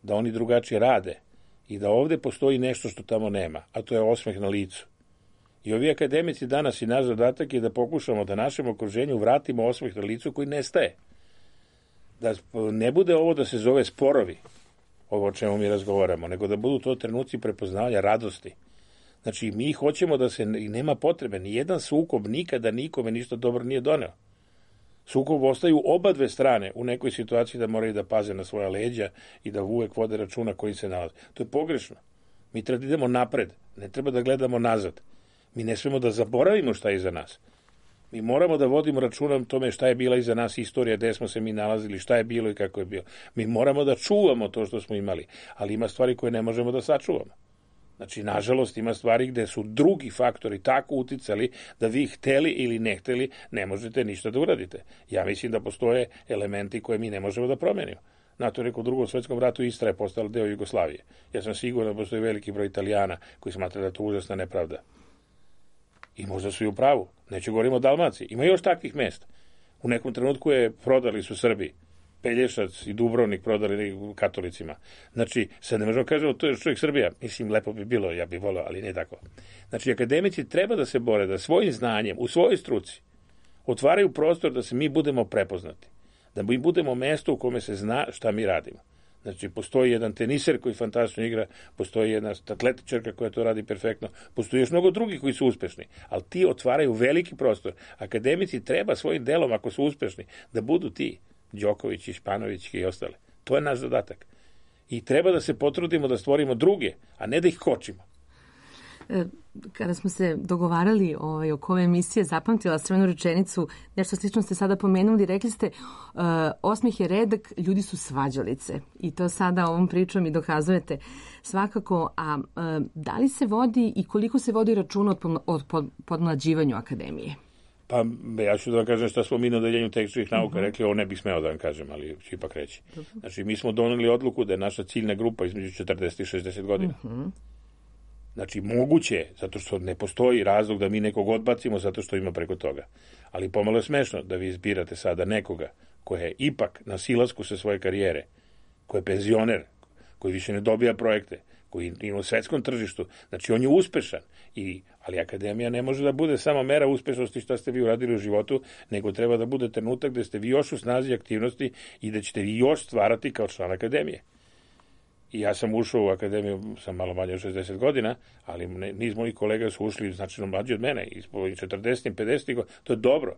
da oni drugačije rade i da ovde postoji nešto što tamo nema, a to je osmeh na licu. I ovi akademici danas i naš zadatak je da pokušamo da našem okruženju vratimo osmeh na licu koji nestaje. Da ne bude ovo da se zove sporovi, ovo o čemu mi razgovaramo, nego da budu to trenuci prepoznavanja radosti. Znači, mi hoćemo da se, i nema potrebe, ni jedan sukob nikada nikome ništa dobro nije doneo. Sukob ostaju oba dve strane u nekoj situaciji da moraju da paze na svoja leđa i da uvek vode računa koji se nalaze. To je pogrešno. Mi treba da idemo napred, ne treba da gledamo nazad. Mi ne smemo da zaboravimo šta je iza nas. Mi moramo da vodimo računa o tome šta je bila iza nas istorija, gde smo se mi nalazili, šta je bilo i kako je bilo. Mi moramo da čuvamo to što smo imali, ali ima stvari koje ne možemo da sačuvamo. Znači, nažalost, ima stvari gde su drugi faktori tako uticali da vi hteli ili ne hteli ne možete ništa da uradite. Ja mislim da postoje elementi koje mi ne možemo da promenimo. NATO je rekao u Drugom svetskom ratu Istra je postala deo Jugoslavije. Ja sam siguran da postoji veliki broj Italijana koji smatra da je to užasna nepravda. I možda su i u pravu. Neću govorimo o Dalmaciji. Ima još takvih mesta. U nekom trenutku prodali su Srbi. Pelješac i Dubrovnik prodali katolicima. Znači, sad ne možemo kažemo to je čovjek Srbija. Mislim, lepo bi bilo, ja bih volio, ali ne tako. Znači, akademici treba da se bore, da svojim znanjem, u svojoj struci, otvaraju prostor da se mi budemo prepoznati. Da mi budemo mesto u kome se zna šta mi radimo. Znači, postoji jedan teniser koji fantastično igra, postoji jedna atletičarka koja to radi perfektno, postoji još mnogo drugih koji su uspešni, ali ti otvaraju veliki prostor. Akademici treba svojim delom, ako su uspešni, da budu ti, Đoković i Španović i ostale. To je naš zadatak. I treba da se potrudimo da stvorimo druge, a ne da ih kočimo. Kada smo se dogovarali oko ove emisije, zapamtila sam jednu rečenicu, nešto slično ste sada pomenuli, rekli ste osmeh je redak, ljudi su svađalice. I to sada ovom pričom i dokazujete svakako. A da li se vodi i koliko se vodi računa o podmlađivanju akademije? Pa ja ću da vam kažem šta smo mi na odeljenju tehničkih nauka rekli, ovo ne bih smeo da vam kažem, ali ću ipak reći. Znači, mi smo doneli odluku da je naša ciljna grupa između 40 i 60 godina. Znači, moguće je, zato što ne postoji razlog da mi nekog odbacimo zato što ima preko toga. Ali pomalo je smešno da vi izbirate sada nekoga koji je ipak na silasku sa svoje karijere, koji je penzioner, koji više ne dobija projekte, koji je u svetskom tržištu. Znači, on je uspešan. Ali akademija ne može da bude samo mera uspešnosti šta ste vi uradili u životu, nego treba da bude trenutak gde ste vi još u snazi aktivnosti i da ćete vi još stvarati kao član akademije. I ja sam ušao u akademiju, sam malo manje od 60 godina, ali niz mojih kolega su ušli značajno mlađi od mene, i 40. 50. godina. To je dobro.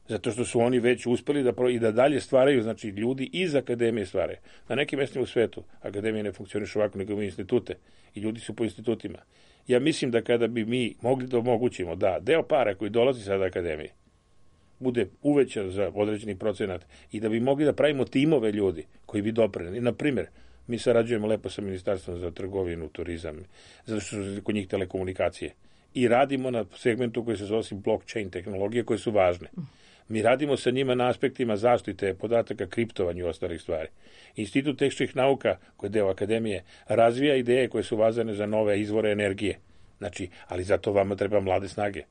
Zato što su oni već uspeli i da dalje stvaraju, znači ljudi iz akademije stvaraju. Na nekim mestima u svetu akademije ne funkcionišu ovako, nego imaju institute i ljudi su po institutima. Ja mislim da kada bi mi mogli da omogućimo da deo para koji dolazi sada akademije bude uvećan za određeni procenat i da bi mogli da pravimo timove ljudi koji bi doprineli. Na primjer, mi sarađujemo lepo sa Ministarstvom za trgovinu, turizam, zato što su kod njih telekomunikacije. I radimo na segmentu koji se zove blockchain tehnologije koje su važne. Mi radimo sa njima na aspektima zaštite podataka, kriptovanju i ostalih stvari. Institut tehničkih nauka, koji je deo akademije, razvija ideje koje su vezane za nove izvore energije. Znači, ali zato vama treba mlade snage.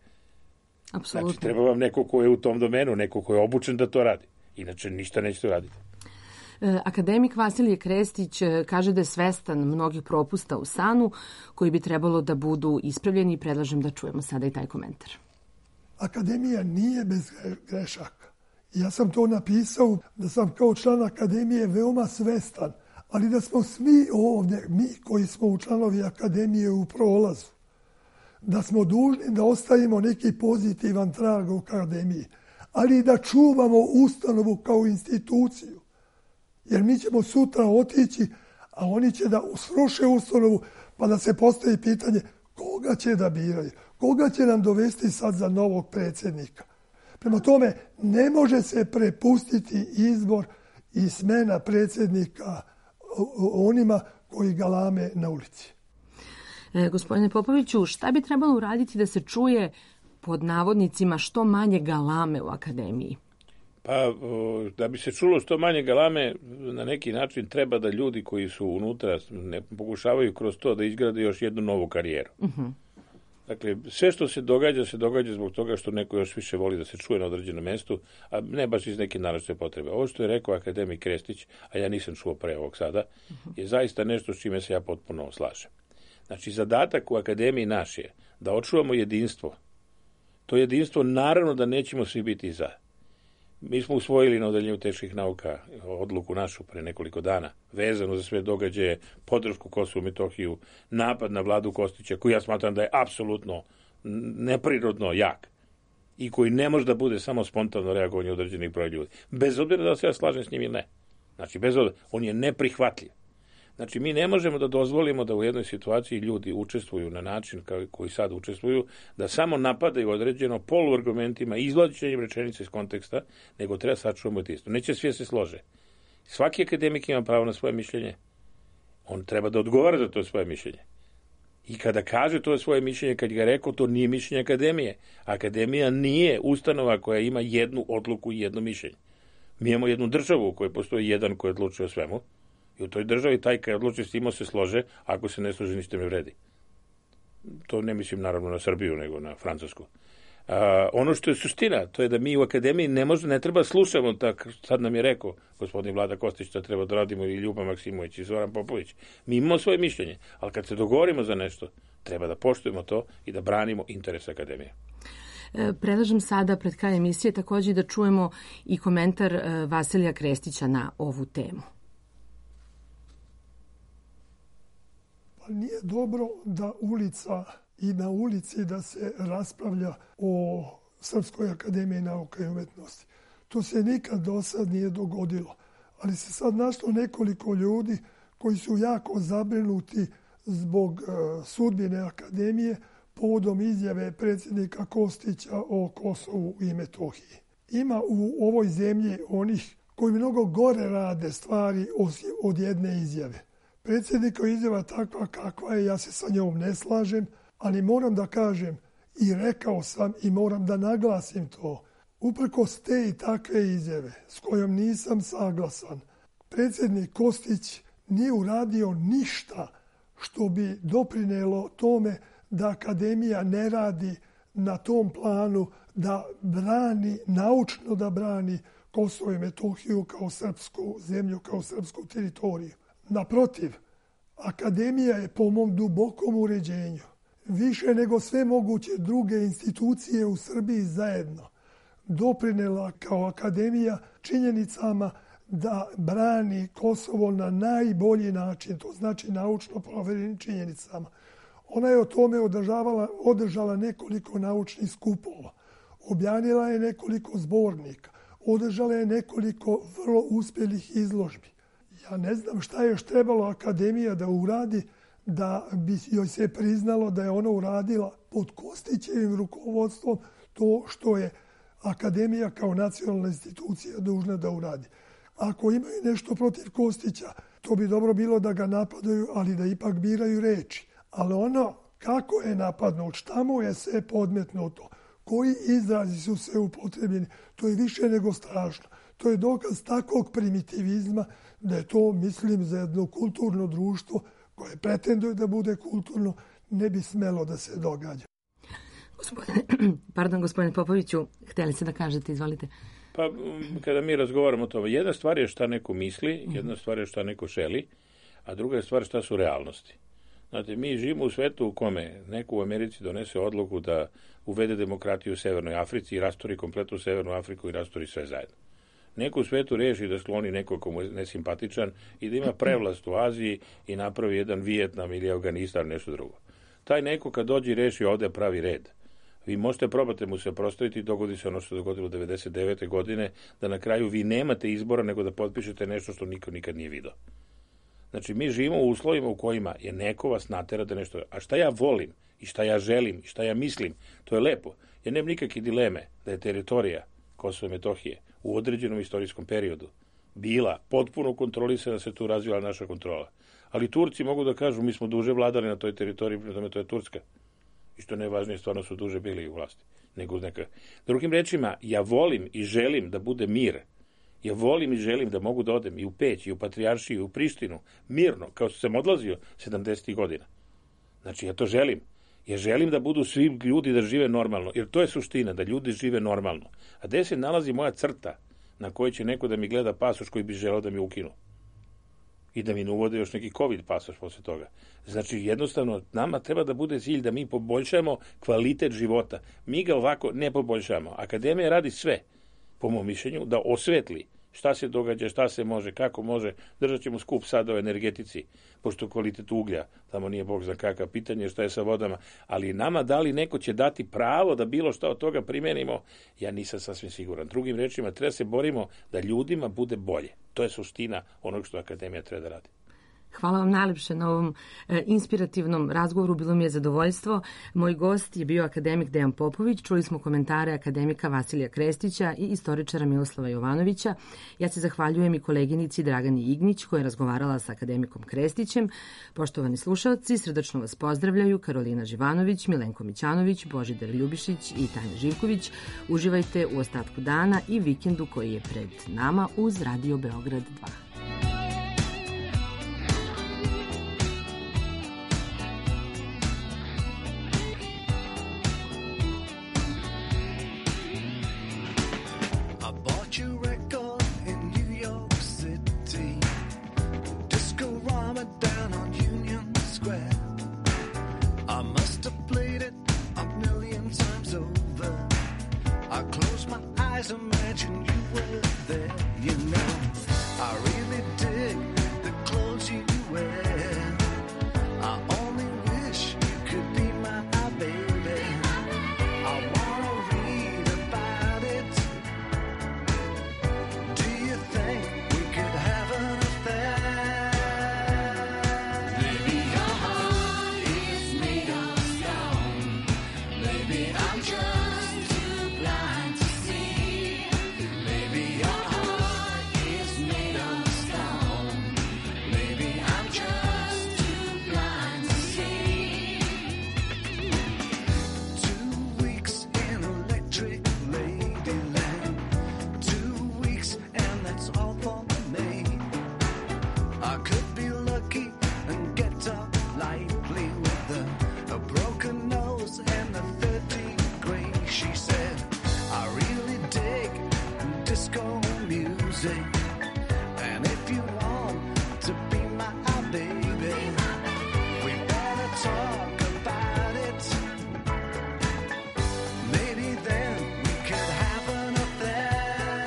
Apsolutno. Znači, treba vam neko ko je u tom domenu, neko ko je obučen da to radi. Inače, ništa nećete raditi. Akademik Vasilije Krestić kaže da je svestan mnogih propusta u SANU koji bi trebalo da budu ispravljeni i predlažem da čujemo sada i taj komentar. Akademija nije bez grešaka. Ja sam to napisao da sam kao član akademije veoma svestan, ali da smo svi ovdje, mi koji smo u članovi akademije u prolazu, da smo dužni da ostavimo neki pozitivan trag u akademiji, ali i da čuvamo ustanovu kao instituciju. Jer mi ćemo sutra otići, a oni će da sruše ustanovu, pa da se postavi pitanje koga će da biraju, koga će nam dovesti sad za novog predsjednika. Prema tome, ne može se prepustiti izbor i smena predsjednika onima koji galame na ulici. Gospodine Popoviću, šta bi trebalo uraditi da se čuje pod navodnicima što manje galame u akademiji? Pa, da bi se čulo što manje galame, na neki način treba da ljudi koji su unutra ne pokušavaju kroz to da izgrade još jednu novu karijeru. Dakle, sve što se događa zbog toga što neko još više voli da se čuje na određenom mestu, a ne baš iz neke naročite potrebe. Ovo što je rekao akademik Krestić, a ja nisam čuo pre ovog sada, je zaista nešto s čime se ja potpuno slažem. Znači, zadatak u akademiji naš je da očuvamo jedinstvo. To jedinstvo, naravno da nećemo svi biti za. Mi smo usvojili na odeljenju teških nauka odluku našu pre nekoliko dana, vezano za sve događaje, podršku Kosovu i Metohiju, napad na vladu Kostića, koji ja smatram da je apsolutno neprirodno jak i koji ne može da bude samo spontano reagovanje određenih broja ljudi. Bez obzira da se ja slažem s njim ili ne. Znači, bez obzira, on je neprihvatljiv. Znači, mi ne možemo da dozvolimo da u jednoj situaciji ljudi učestvuju na način koji sad učestvuju, da samo napadaju određeno poluargumentima, izvlačenjem rečenice iz konteksta, nego treba sačuvamo jedinstvo. Neće svi se slože. Svaki akademik ima pravo na svoje mišljenje. On treba da odgovara za to svoje mišljenje. I kada kaže to svoje mišljenje, kad ga rekao, to nije mišljenje akademije. Akademija nije ustanova koja ima jednu odluku i jedno mišljenje. Mi imamo jednu državu u kojoj postoji jedan koji odlučuje o svemu. I u toj državi taj kad odluči s tim se slože, ako se ne slože ništa ne vredi. To ne mislim naravno na Srbiju, nego na Francusku. Ono što je suština, to je da mi u akademiji ne treba slušamo, tak, sad nam je rekao gospodin Vlada Kostić da treba da radimo i Ljuba Maksimović i Zoran Popović. Mi imamo svoje mišljenje, ali kad se dogovorimo za nešto, treba da poštujemo to i da branimo interes akademije. Predlažem sada pred kraj emisije također da čujemo i komentar Vasilija Krestića na ovu temu. Nije dobro da ulica i na ulici da se raspravlja o Srpskoj akademiji nauka i umetnosti. To se nikad do sad nije dogodilo. Ali se sad našlo nekoliko ljudi koji su jako zabrinuti zbog sudbine akademije povodom izjave predsjednika Kostića o Kosovu i Metohiji. Ima u ovoj zemlji onih koji mnogo gore rade stvari od jedne izjave. Predsjednikova izjava takva kakva je, ja se sa njom ne slažem, ali moram da kažem i rekao sam i moram da naglasim to. Uprkos te i takve izjave s kojom nisam saglasan, predsjednik Kostić nije uradio ništa što bi doprinelo tome da akademija ne radi na tom planu da brani, naučno da brani Kosovo i Metohiju kao srpsku zemlju, kao srpsku teritoriju. Naprotiv, akademija je po mom dubokom uređenju više nego sve moguće druge institucije u Srbiji zajedno doprinela kao akademija činjenicama da brani Kosovo na najbolji način, to znači naučno proverenim činjenicama. Ona je o tome održala nekoliko naučnih skupova, objavila je nekoliko zbornika, održala je nekoliko vrlo uspjelih izložbi. Ja ne znam šta je još trebalo akademija da uradi da bi joj se priznalo da je ona uradila pod Kostićevim rukovodstvom to što je akademija kao nacionalna institucija dužna da uradi. Ako imaju nešto protiv Kostića, to bi dobro bilo da ga napadaju, ali da ipak biraju reči. Ali ono kako je napadnut, šta mu je sve podmetnuto, koji izrazi su se upotrebljeni, to je više nego strašno. To je dokaz takvog primitivizma da je to, mislim, za jedno kulturno društvo koje pretenduje da bude kulturno, ne bi smelo da se događa. Gospodine Popoviću, htjeli ste da kažete, izvolite. Pa, kada mi razgovaramo o tome, jedna stvar je šta neko misli, jedna stvar je šta neko želi, a druga je stvar šta su realnosti. Znate, mi živimo u svetu u kome neko u Americi donese odluku da uvede demokratiju u Severnoj Africi i rastori kompletnu Severnu Afriku i rastori sve zajedno. Neko u svetu reši da skloni nekog komu je nesimpatičan i da ima prevlast u Aziji i napravi jedan Vijetnam ili Afganistan, nešto drugo. Taj neko kad dođe i reši ovde pravi red. Vi možete probati mu se prostaviti i dogodi se ono što se dogodilo 1999. godine, da na kraju vi nemate izbora nego da potpišete nešto što niko nikad nije vidio. Znači, mi živimo u uslovima u kojima je neko vas natera da nešto... A šta ja volim i šta ja želim i šta ja mislim, to je lepo. Ja nemam nikakve dileme da je teritorija Kosova i Metohije u određenom istorijskom periodu bila potpuno kontrolisana, se tu razvila naša kontrola. Ali Turci mogu da kažu, mi smo duže vladali na toj teritoriji, prema tome to je Turska. I što najvažnije, stvarno su duže bili u vlasti. nego neka. Drugim rečima, ja volim i želim da bude mir. Ja volim i želim da mogu da odem i u Peć, i u Patrijaršiju, i u Prištinu, mirno, kao što sam odlazio 70. godina. Znači, ja to želim. Ja želim da budu svi ljudi da žive normalno, jer to je suština, da ljudi žive normalno. A gde se nalazi moja crta na kojoj će neko da mi gleda pasoš koji bi želeo da mi ukinu? I da mi ne uvode još neki COVID pasoš posle toga. Znači, jednostavno, nama treba da bude cilj da mi poboljšamo kvalitet života. Mi ga ovako ne poboljšamo. Akademija radi sve, po mom mišljenju, da osvetli šta se događa, šta se može, kako može. Držat ćemo skup sada o energetici, pošto kvalitet uglja, tamo nije bog zna kakav, pitanje šta je sa vodama, ali nama da li neko će dati pravo da bilo šta od toga primenimo, ja nisam sasvim siguran. Drugim rečima, treba se borimo da ljudima bude bolje. To je suština onog što Akademija treba da radi. Hvala vam najlepše na ovom inspirativnom razgovoru, bilo mi je zadovoljstvo. Moj gost je bio akademik Dejan Popović, čuli smo komentare akademika Vasilija Krestića i istoričara Miroslava Jovanovića. Ja se zahvaljujem i koleginici Dragani Ignić koja je razgovarala sa akademikom Krestićem. Poštovani slušalci, srdačno vas pozdravljaju Karolina Živanović, Milenko Mićanović, Božidar Ljubišić i Tanja Živković. Uživajte u ostatku dana i vikendu koji je pred nama uz Radio Beograd 2. Imagine you were there, you know. I really dig the clothes you wear. I only wish you could be my baby. I wanna read about it. Do you think we could have an affair? Maybe your heart is made of stone. Maybe I'm just too blind to see. Maybe your heart is made of stone. Maybe I'm just too blind to see. 2 weeks in electric ladyland. 2 weeks and that's all for me. I could be lucky and get up lightly with a broken nose and a 3rd degree. She said, I really dig disco music. And if you want to be my baby, we better talk about it. Maybe then we could have an affair.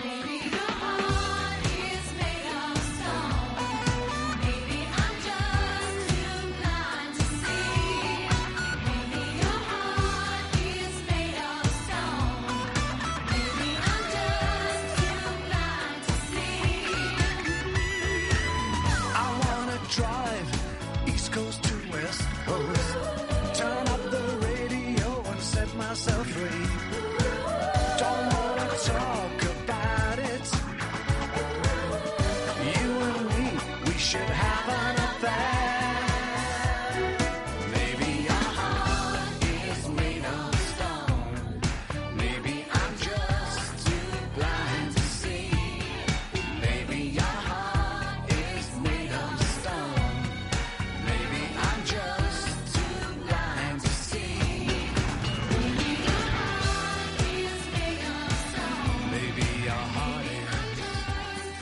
Maybe your heart is made of stone. Maybe I'm just too blind to see. Maybe your heart is made of stone. Maybe I'm just too blind to see. I wanna drive East Coast to West Coast.